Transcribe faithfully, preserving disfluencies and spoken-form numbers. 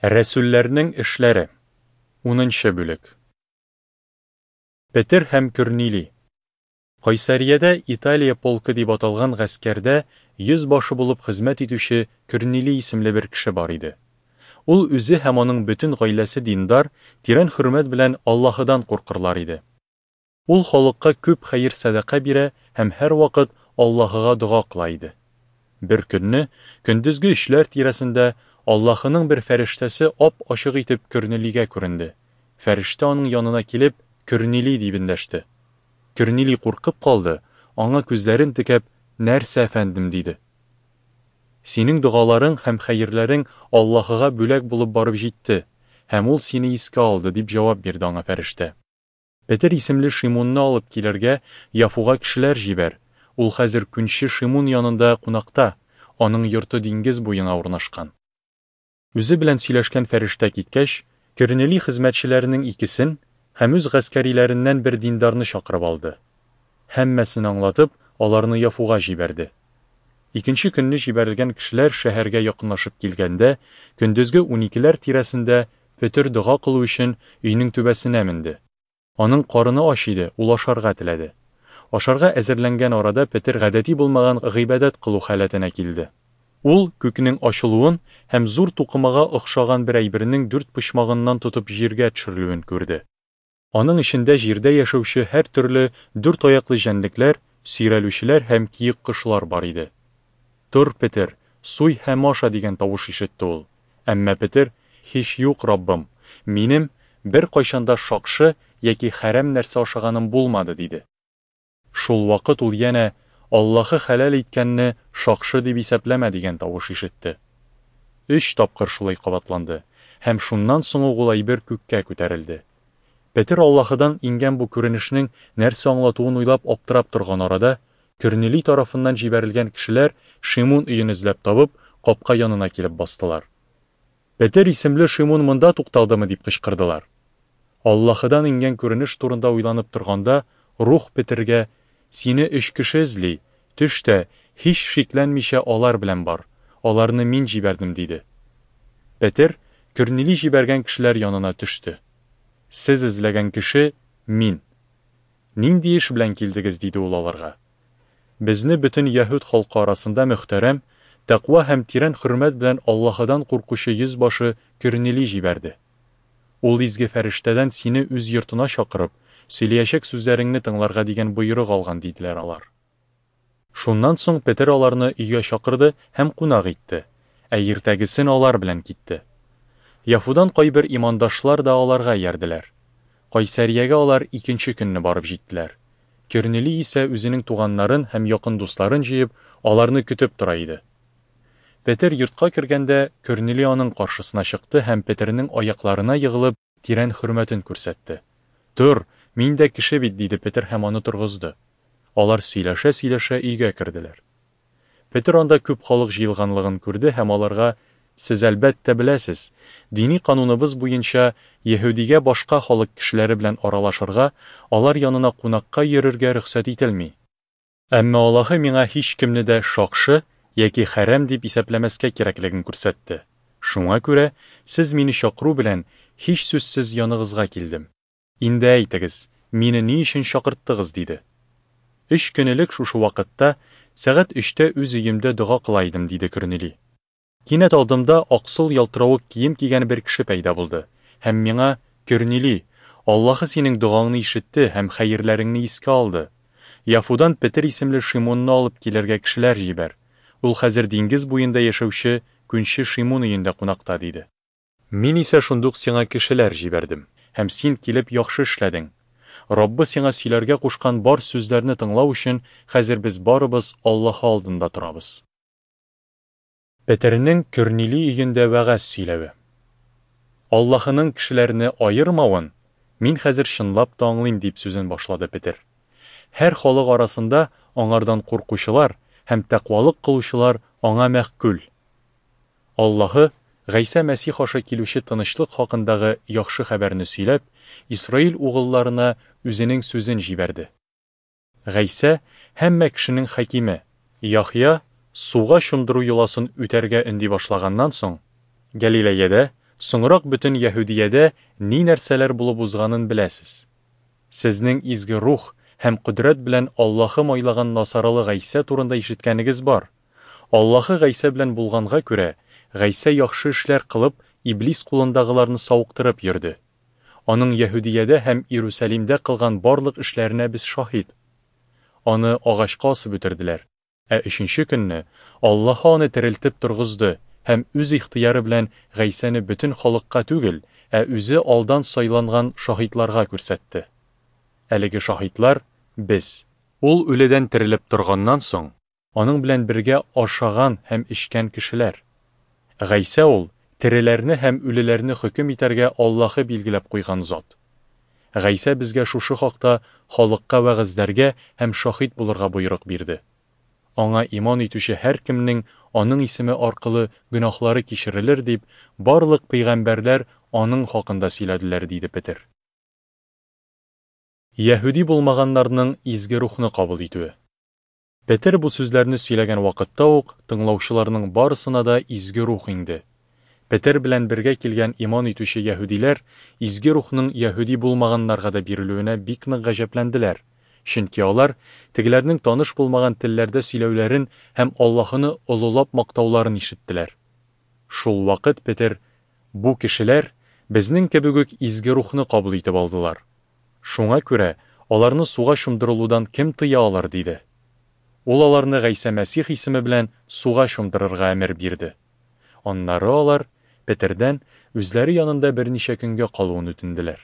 Рәсүлләрнең эшләре. Унынчы бүлек. Петер һәм Көрнили. Кайсариядә Италия полкы дип аталган гаскәрдә йөз башы булып хезмәт итүче Көрнили исемле бер кеше бар иде. Ул үзе һәм аның бөтен гаиләсе диндар, тирән хөрмәт белән Аллаһыдан куркырлар иде. Ул халыкка күп хәер-сәдака бирә һәм һәрвакыт Аллаһыга дога кыла иде. Бер көнне, көндезге өчләр тирәсендә, Аллаһының бер фәрештәсе ап-ачык итеп Көрнилигә күренде. Фәрештә аның янына килеп, Көрнили дип эндәште. Көрнили куркып калды, аңа күзләрен текәп, "Нәрсә, әфәндем?" диде. Синең догаларың һәм хәерләрең Аллаһыга бүләк булып барып җитте, һәм ул сине искә алды, дип җавап бирде аңа фәрештә. Петер исемле Шимунны алып килергә Яфуга кешеләр җибәр. Ул хәзер күнче Шимун янында кунакта, аның йорты диңгез буена урнашкан. Үзе белән сөйләшкән фәрештә киткәч, Көрнили хезмәтчеләренең икесен һәм үз гаскәриләреннән бер диндарны чакырып алды. Һәммәсен аңлатып, аларны Яфуга җибәрде. Икенче көнне җибәрелгән кешеләр шәһәргә якынлашып килгәндә, көндезге уникеләр тирәсендә Петер дога кылу өчен өйнең түбәсенә менде. Аның карыны ач иде, ул ашарга теләде. Ашарга әзерләнгән арада Петер гадәти булмаган гыйбадәт кылу халәтенә килде. Ул күкнең ачылуын һәм зур тукымага охшаган бер әйбернең дүрт почмагыннан тотып җиргә төшерелүен күрде. Аның эчендә җирдә яшәүче һәр төрле дүрт аяклы җәнлекләр, сөйрәлүчеләр һәм киек кошлар бар иде. Тор, Петер, суй һәм аша дигән тавыш ишетте ул. Әмма Петер: "Һич юк, Раббым, минем бер кайчан да шакшы яки хәрәм нәрсә ашаганым булмады", диде. Шул вакыт ул янә: "Аллаһы хәләл иткәнне шакшы дип исәпләмә", дигән тавыш ишетте. Өч тапкыр шулай кабатланды, һәм шуннан соң ук ул әйбер күккә күтәрелде. Петер Аллаһыдан иңгән бу күренешнең нәрсә аңлатуын уйлап аптырап торган арада, Көрнили тарафыннан җибәрелгән кешеләр Шимун өен эзләп табып, капка янына килеп бастылар. Петер исемле Шимун монда тукталдымы дип кычкырдылар. Аллаһыдан иңгән күренеш турында уйланып торганда, Рух Петергә: "Сине өч кеше эзли, төш тә, һич шикләнмичә алар белән бар, аларны мин җибәрдем", диде. Петер Көрнили җибәргән кешеләр янына төште. Сез эзләгән кеше мин. Нинди эш белән килдегез, диде ул аларга. Безне бөтен яһүд халкы арасында мөхтәрәм, тәкъва һәм тирән хөрмәт белән Аллаһыдан куркучы йөз башы Көрнили җибәрде. Ул изге фәрештәдән сине үз йортына чакырып, сөйләячәк сүзләреңне тыңларга дигән боерык алган, диделәр алар. Шуннан соң Петер аларны өйгә чакырды һәм кунак итте, ә иртәгесен алар белән китте. Яфудан кайбер имандашлар да аларга иярделәр. Кайсариягә алар икенче көнне барып җиттеләр. Көрнили исә үзенең туганнарын һәм якын дусларын җыеп, аларны көтеп тора иде. Петер йортка кергәндә, Көрнили аның каршысына чыкты һәм Петернең аякларына егылып, тирән хөрмәтен күрсәтте. Тор, мин дә кеше бит, диде Петер һәм аны торгызды. Алар сөйләшә-сөйләшә өйгә керделәр. Петер анда күп халык җыелганлыгын күрде һәм аларга: "Сез әлбәттә беләсез, дини кануныбыз буенча яһүдигә башка халык кешеләре белән аралашырга, алар янына кунакка йөрергә рөхсәт ителми. Әмма Аллаһы миңа һич кемне дә шакшы яки хәрәм дип исәпләмәскә кирәклеген күрсәтте. Шуңа күрә сез мине чакыру белән һич сүзсез яныгызга килдем. Инде әйтегез, мине ни өчен чакырттыгыз?" диде. Өч көн элек шушы вакытта сәгать өчтә үз өемдә дога кыла идем, диде Көрнили. Кинәт алдымда аксыл ялтыравык кием кигән бер кеше пәйда булды һәм миңа: "Көрнили, Аллаһы синең догаңны ишетте һәм хәерләреңне искә алды. Яфудан Петер исемле Шимунны алып килергә кешеләр җибәр. Ул хәзер диңгез буенда яшәүче күнче Шимун өендә кунакта", диде. Мин исә шундук сиңа кешеләр җибәрдем, һәм син килеп яхшы эшләдең. Раббы сиңа сөйләргә кушкан бар сүзләрне тыңлау өчен хәзер без барыбыз Аллаһы алдында торабыз. Петернең Көрнили өендә вәгазь сөйләве. Аллаһының кешеләрне аермавын мин хәзер чынлап та аңлыйм, дип сүзен башлады Петер. Һәр халык арасында аңардан куркучылар һәм тәкъвалык кылучылар аңа мәхкүл. Аллаһы Гайсә Мәсих аша килүче тынычлык хакындагы яхшы хәбәрне сөйләп, Исраил угылларына үзенең сүзен җибәрде. Гайсә һәммә кешенең хакиме, Яхъя суга чумдыру йоласын үтәргә өнди башлаганнан соң, Галилеядә Соңрак бөтен Яһүдиядә ни-нәрсәләр булып узганын беләсез. Сезнең Изге Рух һәм кодрәт белән Аллаһы майлаган Насаралы Гайсә турында ишеткәнегез бар. Аллаһы Гайсә белән булганга күрә, Гайсә яхшы эшләр кылып, иблис кулындагыларны савыктырып йөрде. Аның Яһүдиядә һәм Иерусалимдә кылган барлык эшләренә без шаһит. Аны агачка асып үтерделәр. Ә өченче көнне Аллаһы аны терелтеп торгызды һәм үз ихтыяры белән Гайсәне бөтен халыкка түгел, ә үзе алдан сайланган шаһитларга күрсәтте. Әлеге шаһитлар без. Ул үледән терелеп торганнан соң, аның белән бергә ашаган һәм эчкән кешеләр. Гайсә ул тереләрне һәм үлеләрне хөкем итәргә Аллаһы билгеләп куйган зат. Гайсә безгә шушы хакта халыкка вәгазьләргә һәм шаһит булырга боерык бирде. Аңа иман итүче һәркемнең аның исеме аркылы гөнаһлары кичерелер дип, барлык пәйгамбәрләр аның хакында сөйләделәр, диде Петер. Яһүди булмаганнарның Изге Рухны кабул итүе. Петер бу сүзләрне сөйләгән вакытта ук тыңлаучыларның барысына да Изге Рух иңде. Петер белән бергә килгән иман итүче яһүдиләр Изге Рухның яһүди булмаганнарга да бирелүенә бик нык гаҗәпләнделәр, чөнки алар тегеләрнең таныш булмаган телләрдә сөйләүләрен һәм Аллаһыны олылап мактауларын ишеттеләр. Шул вакыт Петер: Бу кешеләр безнең кебек үк Изге Рухны кабул итеп алдылар. Шуңа күрә аларны суга чумдырылудан кем тыя алыр? диде. Ул аларны Гайсә Мәсих исеме белән суга чумдырырга әмер бирде. Аннары алар Петердән үзләре янында берничә көнгә калуын үтенделәр.